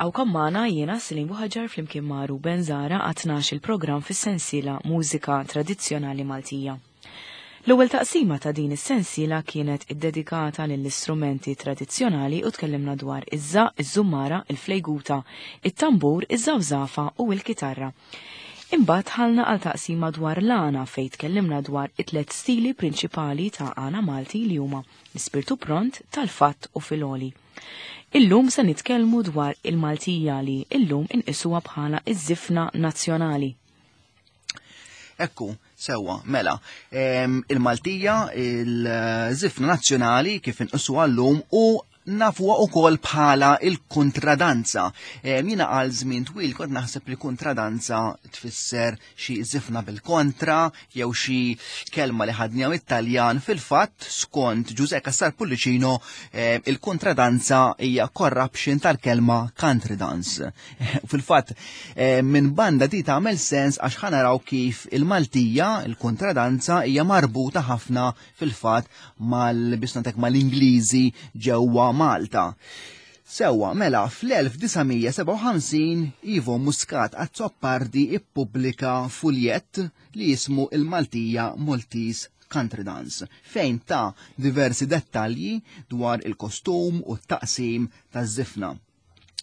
Nilqawkom magħna jiena Silim Buħaġar flimkien ma' Ruben Zara għat il-programm fis-sensiela Mużika Tradizzjonali Maltija. L-ewwel taqsima ta' din is-sensiela kienet iddedikata lill-istrumenti tradizzjonali u tkellimna dwar iż-żaq, iż-żummara, il-flejguta, it-tambur, iż-żawżafa u l-kitarra. Imbagħad ħalna għal taqsima dwar l-għana fejn tkellimna dwar it-tliet stili prinċipali ta' għana Malti li huma l-ispirtu pront, tal-fatt u filgħoli. Illum se nitkellmu dwar il-Maltija li illum inqisuha bħala iż-żifna nazzjonali. Ekku, sewwa, mela, il-Maltija, il-żifna nazzjonali kif inqisu għallum u nafuha ukoll bħala il-kontradanza. Jiena għal żmien twil kont naħseb li kontradanza tfisser xi żifna bil-kontra jew xi kelma li ħadniha mit-Taljan. Fil-fatt, skont Ġużè Cassar Pullicino, il-kontradanza hija corruption tal-kelma country dance. Fil-fatt, eh, minn banda di tagħmel sens għax ħanaraw kif il-Maltija, il-kontradanza hija marbuta ħafna fil-fatt mal-bisnatek mal-Ingliżi ġewwa Malta. Sewwa, mela, fl-1957 Ivo Muscat Azzopardi ippubblika fuljett li jismu il-Maltija Maltese Country Dance, fejn ta' diversi dettalji dwar il-kostum u t-taqsim taż-żifna.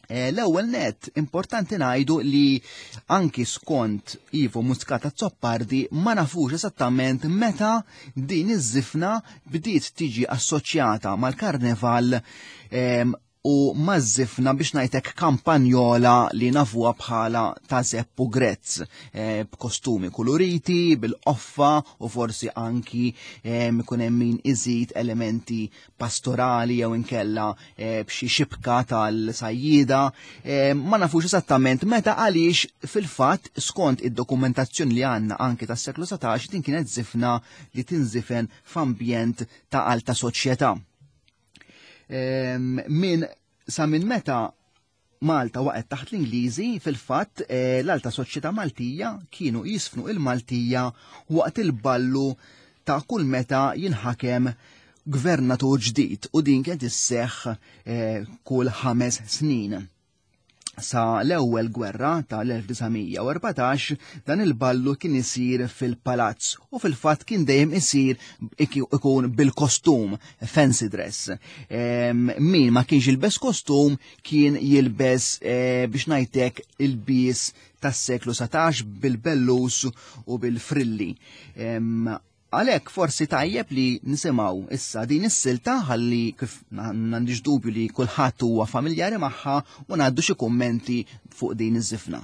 Eh, l-ewwel net importanti ngħidu li anki skont Ivo Muscat Azzopardi ma nafux esattament meta din iż-żifna bdiet tiġi assoċjata mal-karneval ehm, u maż-żifna biex ngħidlek kampanjola li nafuha bħala ta' Zeppu Grezz eh, b'kostumi kuluriti, bil-qoffa u forsi anki ehm, ikun hemm min iżid elementi pastorali jew inkella eh, b'xi xibka tal-sajjida. Eh, ma nafux esattament meta għaliex fil-fatt skont id-dokumentazzjoni li għandna anki tas-seklu 17 din kienet zifna li tinżifen f'ambjent ta' alta soċjetà. Eh, min sa minn meta Malta waqgħet taħt l-Ingliżi, fil-fatt eh, l-alta soċjetà Maltija kienu jisfnu il-Maltija waqt il-ballu ta' kull meta jinħakem gvernatur ġdid u din kienet isseħħ eh, kull ħames snin. Sa l-ewwel gwerra tal-1914 dan il-ballu kien isir fil-palazz u fil-fatt kien dejjem isir ikun bil-kostum fancy dress. Min ma kienx jilbes kostum kien jilbes eh, biex ngħidlek il-bies tas-seklu 17 bil-bellus u bil-frilli. Għalhekk forsi tajjeb li nisimgħu issa din is-silta ħalli kif m'għandix dubju li kulħadd huwa familjari magħha u ngħaddu xi kummenti fuq din iż-żifna.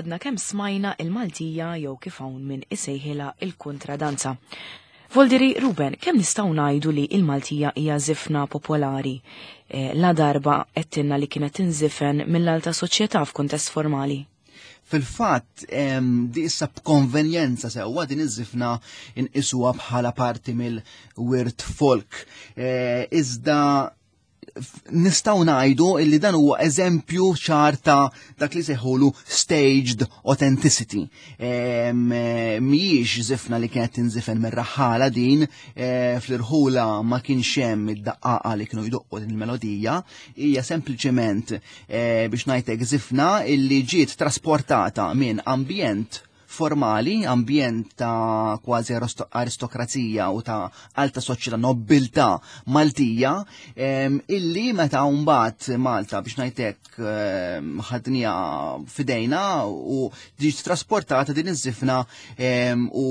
għadna kemm smajna il-Maltija jew kif hawn min isejħilha il-kontradanza. Voldiri, Ruben, kemm nistgħu ngħidu li il-Maltija hija żifna popolari la darba għedtilna li kienet tinżifen mill-alta soċjetà f'kuntest formali? Fil-fatt, di issa b'konvenjenza sewwa din iż-żifna inqisuha bħala parti mill-wirt folk. Iżda nistgħu ngħidu illi dan huwa eżempju ċar ta' dak li sejħulu staged authenticity. Mhijiex żifna li kienet tinżifen mir-raħħala din, fl-irħula ma kienx hemm id-daqqaqa li kienu jdoqqu din il-melodija, hija sempliċement biex ngħidlek żifna illi ġiet trasportata minn ambjent formali, ambjent ta' kważi aristokrazija u ta' alta soċjetà nobiltà Maltija, illi meta mbagħad Malta biex ngħidlek ħadnija fidejna u ġiet trasportata din iż-żifna u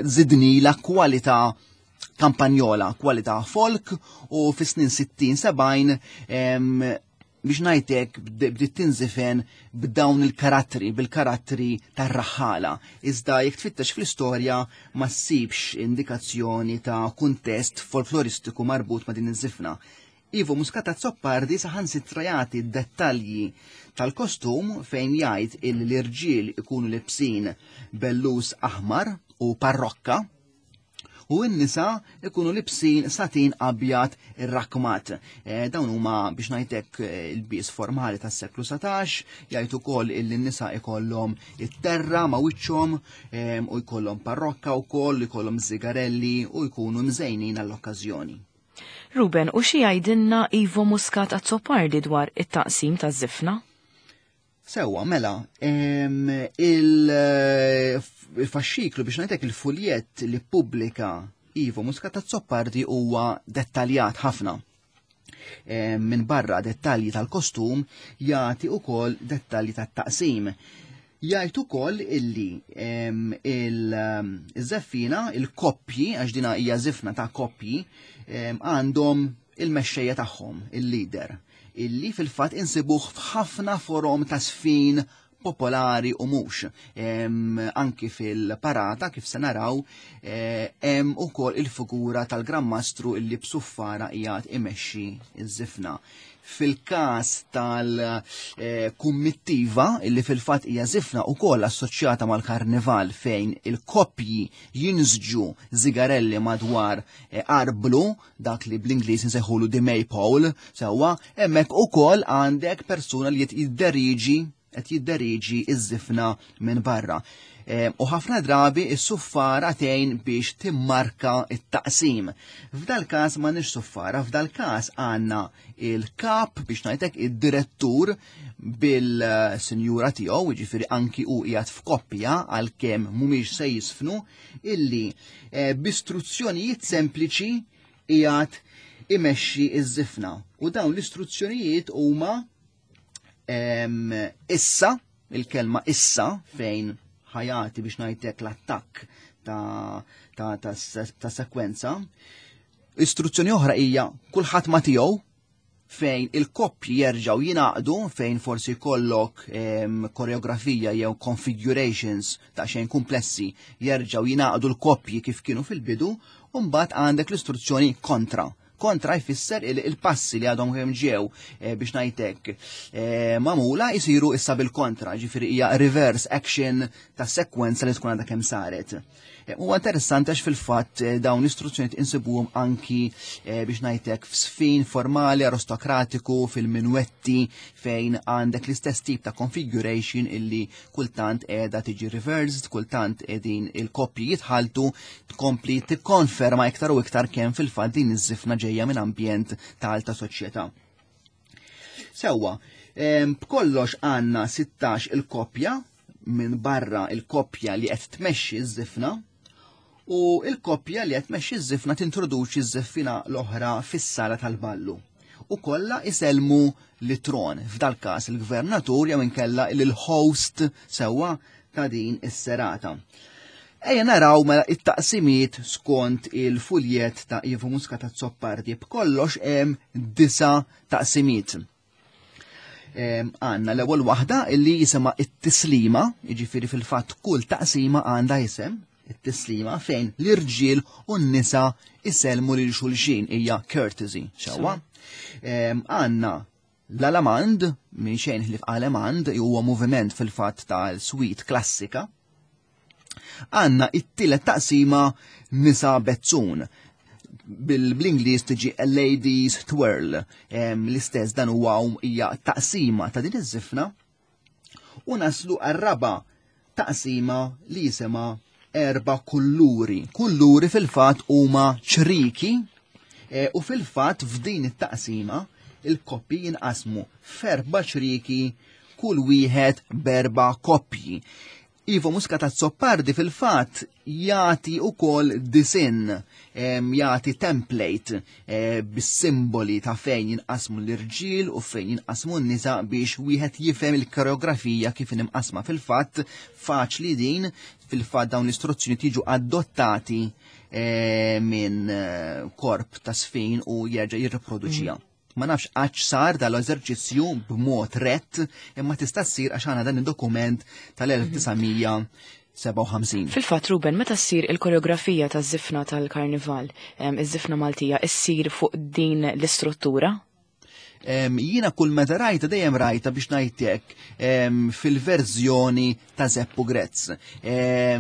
zidni la kwalità kampanjola, kwalità folk u fis-snin 60-70 biex ngħidlek bdiet tinżifen b'dawn il-karattri, bil-karattri tar-raħħala. Iżda jekk tfittex fl-istorja ma ssibx indikazzjoni ta' kuntest folkloristiku marbut ma' din iż-żifna. Ivo Muscat Azzopardi saħansitra jagħti dettalji tal-kostum fejn jgħid il l-irġiel ikunu libsin bellus aħmar u parrokka u n-nisa ikunu libsin satin abjad irrakmat. Dawn huma biex ngħidlek il-bies formali tas-seklu 19, jgħid ukoll illi n-nisa ikollhom it-terra ma' wiċċhom u jkollhom parrokka wkoll, ikollhom zigarelli u jkunu mżejnin għall-okkażjoni. Ruben, u xi jgħidilna Ivo Muscat Azzopardi dwar it-taqsim taż-żifna? Sewwa, mela, il-faxxiklu biex ngħidlek il-fuljett li ppubblika Ivo Muscat Azzopardi huwa dettaljat ħafna. Minn barra dettalji tal-kostum jagħti ukoll dettalji tat-taqsim. Jgħid ukoll illi il-żeffina, il-koppji, għax dina hija żifna ta' koppji, għandhom il-mexxejja tagħhom, il-leader, illi fil-fatt insibuh f'ħafna forom ta' sfin popolari u mhux. Anki fil-parata, kif se naraw, hemm ukoll il-figura tal-Gran Mastru illi b'suffara qiegħed imexxi ż-żifna. Fil-każ tal-kummittiva, illi fil-fatt hija żifna wkoll assoċjata mal-karnival fejn il-koppji jinżġu zigarelli madwar arblu, dak li bl-Ingliż insejħulu the maypole, sewwa, hemmhekk ukoll għandek persuna li qed jidderiġi iż-żifna minn barra. U ħafna drabi is-suffara tgħin biex timmarka it-taqsim. F'dal każ m'għandniex suffara, f'dal każ għandna il-kap biex ngħidlek id-direttur bil-sinjura tiegħu, jiġifieri anki hu qiegħed f'koppja għalkemm mhumiex se jisfnu, illi b'istruzzjonijiet sempliċi qiegħed imexxi iż-żifna. U dawn l-istruzzjonijiet huma issa, il-kelma issa fejn ħajati biex ngħidlek l-attakk ta' sekwenza. Istruzzjoni oħra hija kulħadd ma tiegħu, fejn il-koppji jerġgħu jingħaqdu, fejn forsi jkollok koreografija jew configurations ta' xejn komplessi, jerġgħu jingħaqdu l-koppji kif kienu fil-bidu, u mbagħad għandek l-istruzzjoni kontra. Kontra jfisser il-passi li għadhom kemm ġew biex ngħidlek magħmula jsiru issa bil-kontra, ġifieri hija reverse action ta' sekwenza li tkun għadha kemm saret. Huwa interessanti għax fil-fatt dawn l-istruzzjonijiet insibuhom anki biex ngħidlek f'sfin formali aristokratiku fil-minwetti fejn għandek l-istess tip ta' configuration illi kultant qiegħda tiġi reversed, kultant qegħdin il-koppji jitħaltu, tkompli tikkonferma iktar u iktar kemm fil-fatt din iż-żifna ġejja minn ambjent ta' alta soċjetà. Sewwa, b'kollox għandna 16 il-koppja minn barra il-koppja li qed tmexxi ż-żifna, u il-koppja li qed tmexxi ż-żifna tintroduċi ż-żeffina l-oħra fis-sala tal-ballu. U kollha isellmu li tron, f'dal każ il-gvernatur jew inkella il-host sewwa ta' din is-serata. Ejja naraw mela it-taqsimiet skont il-fuljet ta' Ivo Muscat Azzopardi. B'kollox hemm 9 taqsimiet. Għandna l-ewwel waħda illi jisimha it-tislima, jiġifieri fil-fatt kull taqsima għandha isem, it-tislima fejn l-irġiel u n-nisa isellmu lil xulxin hija courtesy, sewwa. Għandna l-alamand, minn xejn ħlief alamand, huwa moviment fil-fatt tal-suite klassika. Għandna it-tielet taqsima nisa bezzun. Bil-Ingliż tiġi a ladies twirl. L-istess dan huwa hija taqsima ta' din iż-żifna. U naslu għar-raba' taqsima li jisimha erba' kulluri. Kulluri fil-fatt huma ċriki e, u fil-fatt f'din it-taqsima il-koppji jinqasmu f'erba' ċriki kull wieħed b'erba' koppji. Ivo Muscat Azzopardi fil-fatt jagħti ukoll disinn, jagħti template eh, bis-simboli ta' fejn jinqasmu l-irġiel u fejn jinqasmu n-nisa biex wieħed jifhem il-koreografija kif inqasma fil-fatt faċli din fil-fatt dawn l-istruzzjoni tiġu adottati eh, minn eh, korp ta' sfin u jerġa' jirriproduċija. Ma nafx għax sar dal-eżerċizzju b'mod rett, imma tista' ssir għax għandna dan id-dokument tal-1957. Fil-fatt, Ruben, meta ssir il-koreografija taż-żifna tal-Karnival, iż-żifna Maltija, issir fuq din l-istruttura? Jiena kull meta rajta dejjem rajta biex ngħidlek fil-verżjoni ta' Zeppu Grezz.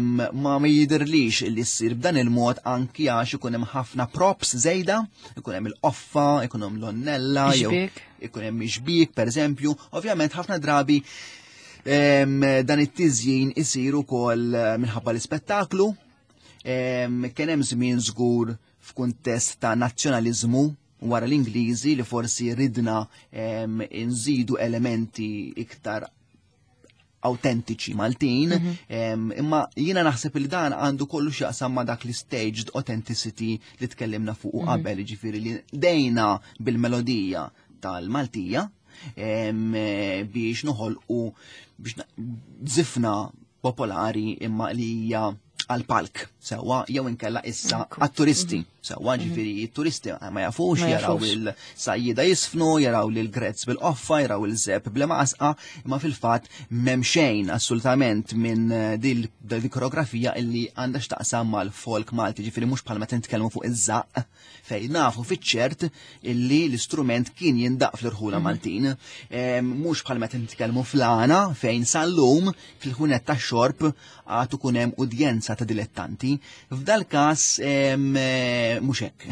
Ma ma jidhirlix li ssir b'dan il-mod anki għax ikun hemm ħafna props żejda, ikun hemm il-qoffa, ikun hemm l-onnella, jew ikun hemm ixbik pereżempju. Ovvjament ħafna drabi dan it-tiżjin isir ukoll eh, minħabba l-ispettaklu. Kien hemm żmien żgur f'kuntest ta' nazzjonaliżmu wara l-Ingliżi li forsi ridna nżidu elementi iktar autentiċi Maltin, mhm. imma jiena naħseb li dan għandu kollu x'jaqsam ma' dak li staged authenticity li tkellimna fuq mhm. qabel, ġifieri li dejna bil-melodija tal-Maltija biex noħolqu biex zifna popolari imma li hija għal-palk sewwa jew inkella issa għat-turisti mhm. sewwa mhm. ġifieri t-turisti ma jafux jaraw il-sajjida jisfnu, jaraw lil grezz bil-qoffa, jaraw il-żeb bl-maqasqa, imma fil-fatt m'hemm xejn assolutament minn eh, dil koreografija illi għandha x'taqsam mal-folk Malti, ġifieri mhux bħalma tintkellmu fuq iż-żaqq fejn nafu fiċ-ċert illi l-istrument kien jindaq fl-irħula mhm. Maltin. Mhux bħal meta nitkellmu fl-għana fejn sal-lum fil-ħunet tax-xorb għad ikun hemm udjenza ta' dilettanti. F'dal każ eh, mhux hekk.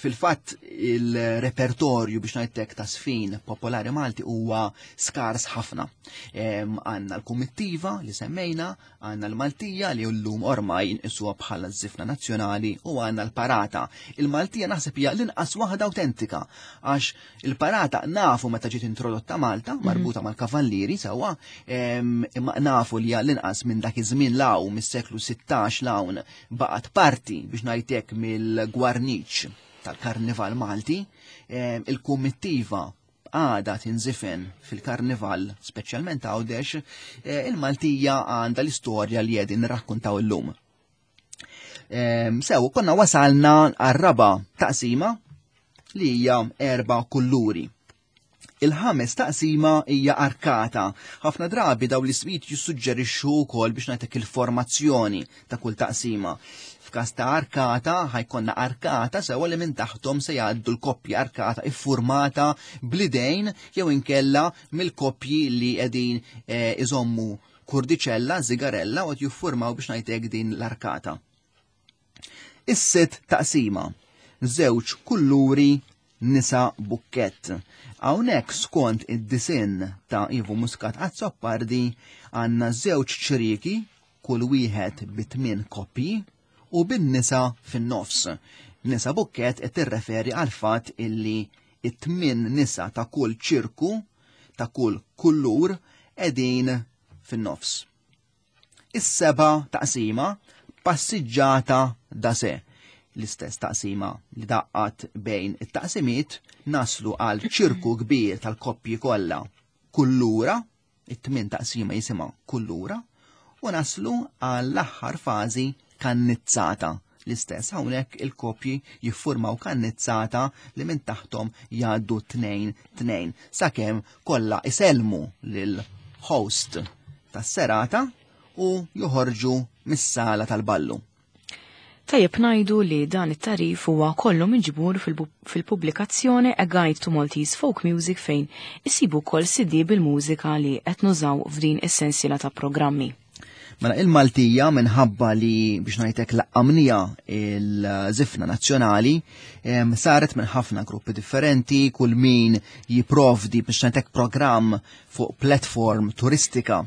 Fil-fatt il-repertorju biex ngħidlek ta' sfin popolari Malti huwa skars ħafna. Għandna l-kumittiva li semmejna, Għandna l-Maltija li llum ormai nqisuha bħala ż-żifna nazzjonali u għandna l-parata. Il-Maltija naħseb hija l-inqas waħda awtentika għax il-parata nafu meta ġiet introdotta Malta mhm. marbuta mal-kavallieri sewwa, imma nafu li hija l-inqas minn dak iż-żmien law mis-seklu 16 l-hawn baqgħet parti biex ngħidlek mill-gwarniċ tal-Karnival Malti, il-kumittiva għada tinżifen fil-karnival, speċjalment Għawdex, eh, il-Maltija għandha l-istorja li qegħdin nirrakkuntaw illum. Ehm, sew, konna wasalna għar-raba taqsima li hija erba' kulluri. Il-ħames taqsima hija arkata. Ħafna drabi daw l-ismijiet jissuġġerixxu wkoll biex ngħidlek il-formazzjoni ta' kull taqsima. F'każ ta' arkata, ħajkonna arkata sewa li minn taħtom se jgħaddu l-koppji arkata iffurmata bl-idejn jew inkella mill-koppji li qegħdin eh, iżommu kurdiċella, zigarella u qed jiffurmaw biex ngħidlek din l-arkata. Is-sitt taqsima, żewġ kulluri nisa bukkett. Hawnhekk skont id-disinn ta' Ivo Muscat Azzopardi għandna żewġ ċrieki kull wieħed bi tmien koppji u bin-nisa fin-nofs. Nisa bukkett qed tirreferi għal fatt illi it-tmien nisa ta' kull ċirku ta' kull kullur qegħdin fin-nofs. Is-seba' taqsima passiġġata da se. L-istess taqsima li daqqat bejn it-taqsimiet naslu għal ċirku kbir tal-koppji kollha kullura, it-tmien taqsima jisimha kullura, u naslu għall-aħħar fażi kannizzata. L-istess hawnhekk il-koppji jiffurmaw kannizzata li minn taħtom jgħaddu tnejn tnejn sakemm kollha isellmu lil host tas-serata u joħorġu mis-sala tal-ballu. Tajjeb ngħidu li dan it-tagħrif huwa kollu miġbur fil-pubblikazzjoni A Guide to Maltese Folk Music fejn isibu wkoll CD bil-mużika li qed nużaw f'din is-sensiela ta' programmi. Mela il-Maltija minħabba li biex ngħidlek laqqamnija il-żifna nazzjonali saret minn ħafna gruppi differenti, kull min jipprovdi biex ngħidlek programm fuq platform turistika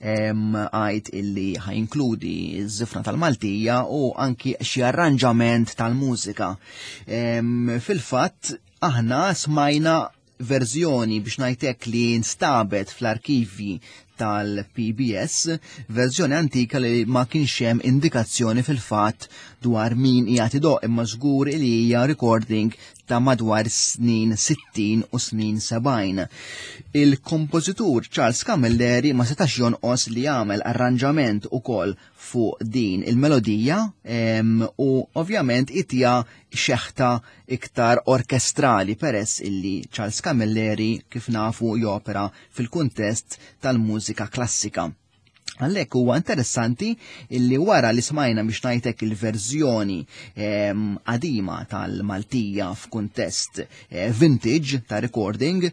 għajt illi ħajinkludi ż-żifna tal-Maltija u anki xi arranġament tal-mużika. Fil-fatt aħna smajna verżjoni biex ngħidlek li nstabet fl-arkivji tal-PBS, verżjoni antika li ma kienx hemm indikazzjoni fil-fatt dwar min qiegħed idoq imma żgur li hija recording ta' madwar snin 60 u snin 70. Il-kompożitur Charles Camilleri ma setax jonqos li jagħmel arranġament ukoll fuq din il-melodija u ovvjament itija xeħta iktar orkestrali peress illi Charles Camilleri kif nafu jopera fil-kuntest tal-mużika klassika. Għalhekk huwa interessanti illi wara li smajna biex ngħidlek il-verżjoni qadima tal-Maltija f'kuntest eh, vintage ta' recording,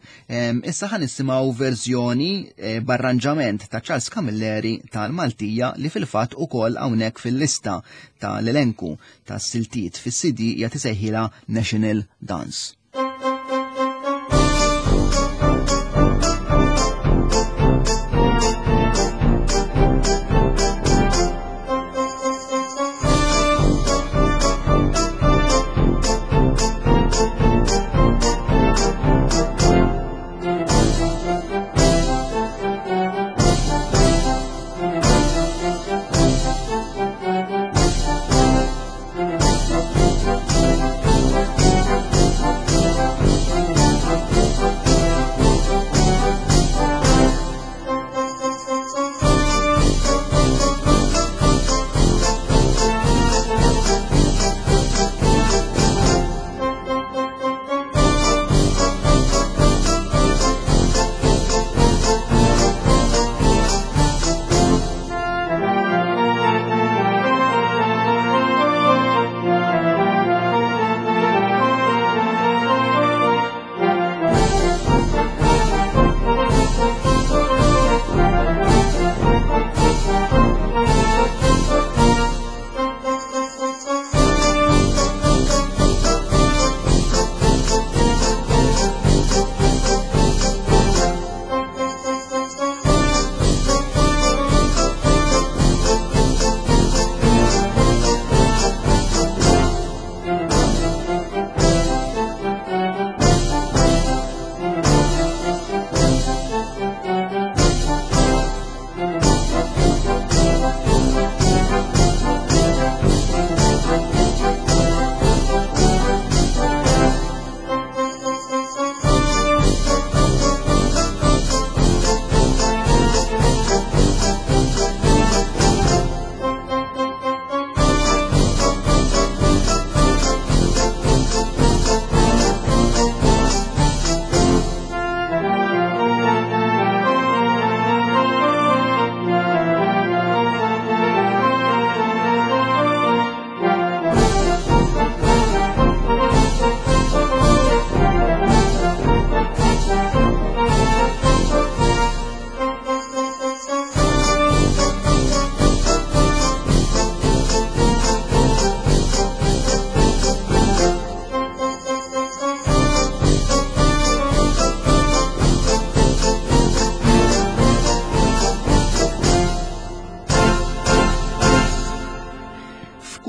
issa ħan nisimgħu verżjoni eh, b'arranġament ta' Charles Camilleri tal-Maltija li fil-fatt ukoll hawnhekk fil-lista tal-elenku tas-siltiet fis-CD hija tisejħilha National Dance.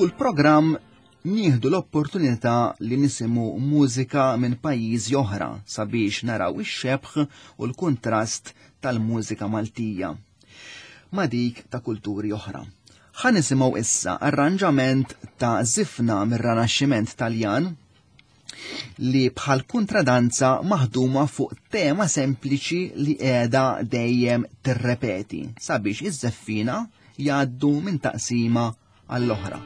F'kull programm nieħdu l-opportunità li nisimgħu mużika minn pajjiżi oħra sabiex naraw ix-xebh u l-kuntrast tal-mużika Maltija ma' dik ta' kulturi oħra. Ħa nisimgħu issa arranġament ta' żifna mir-Ranaxximent Taljan li bħal kuntradanza maħduma fuq tema sempliċi li qiegħda dejjem tirrepeti sabiex iż-żeffina jgħaddu minn taqsima għall-oħra.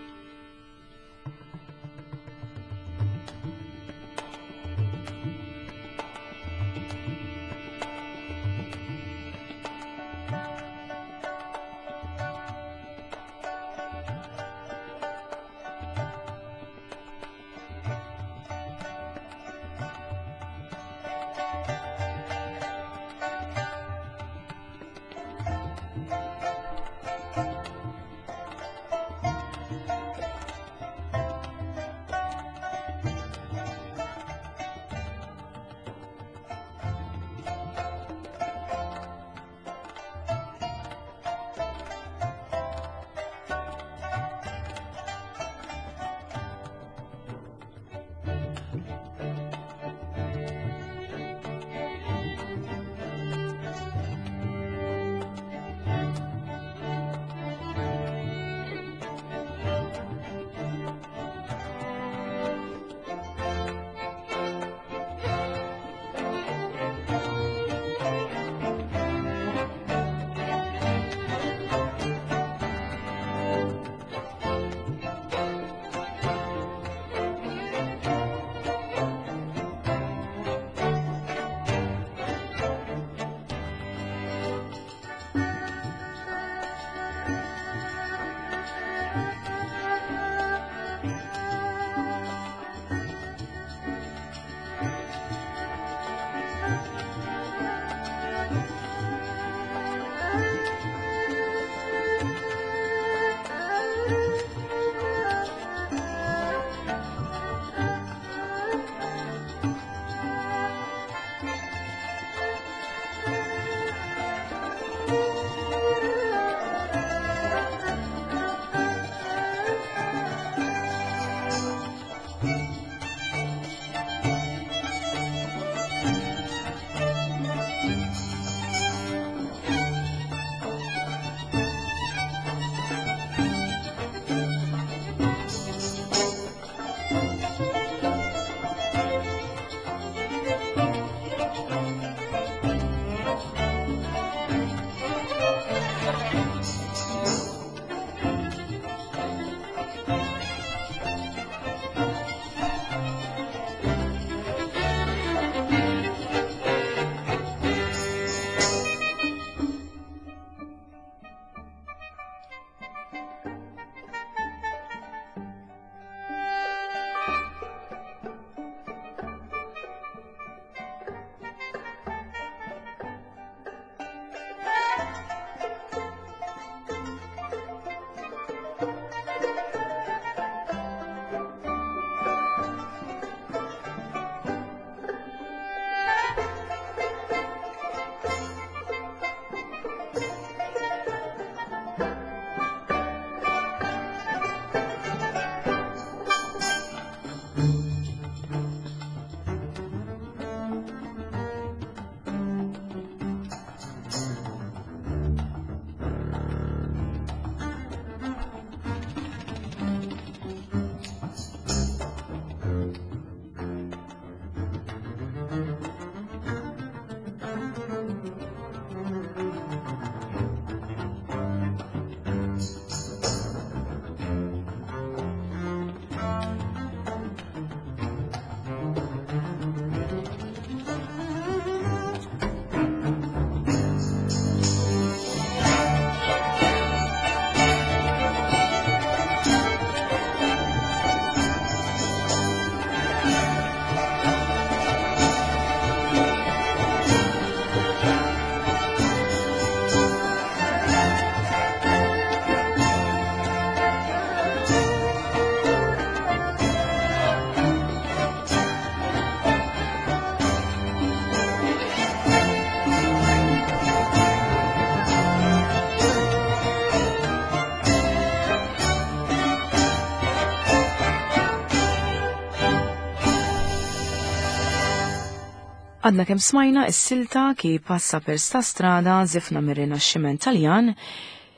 Għadna kemm smajna s-silta ki passa per sta strada zifna mir-Rinaxximent Taljan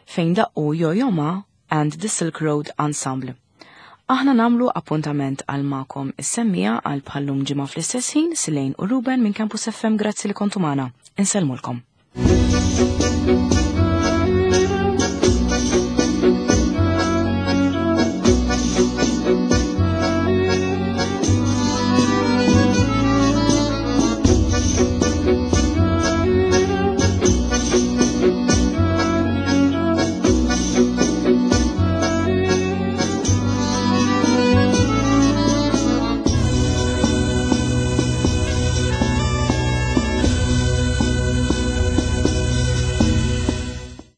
fejn daqqu Yo-Yo Ma and the Silk Road Ensemble. Aħna namlu appuntament għal magħkom is-semmija għal bħallum ġimgħa fl-istess ħin Silejn u Ruben minn Campus FM grazzi li kontu magħna. Insellmulkom.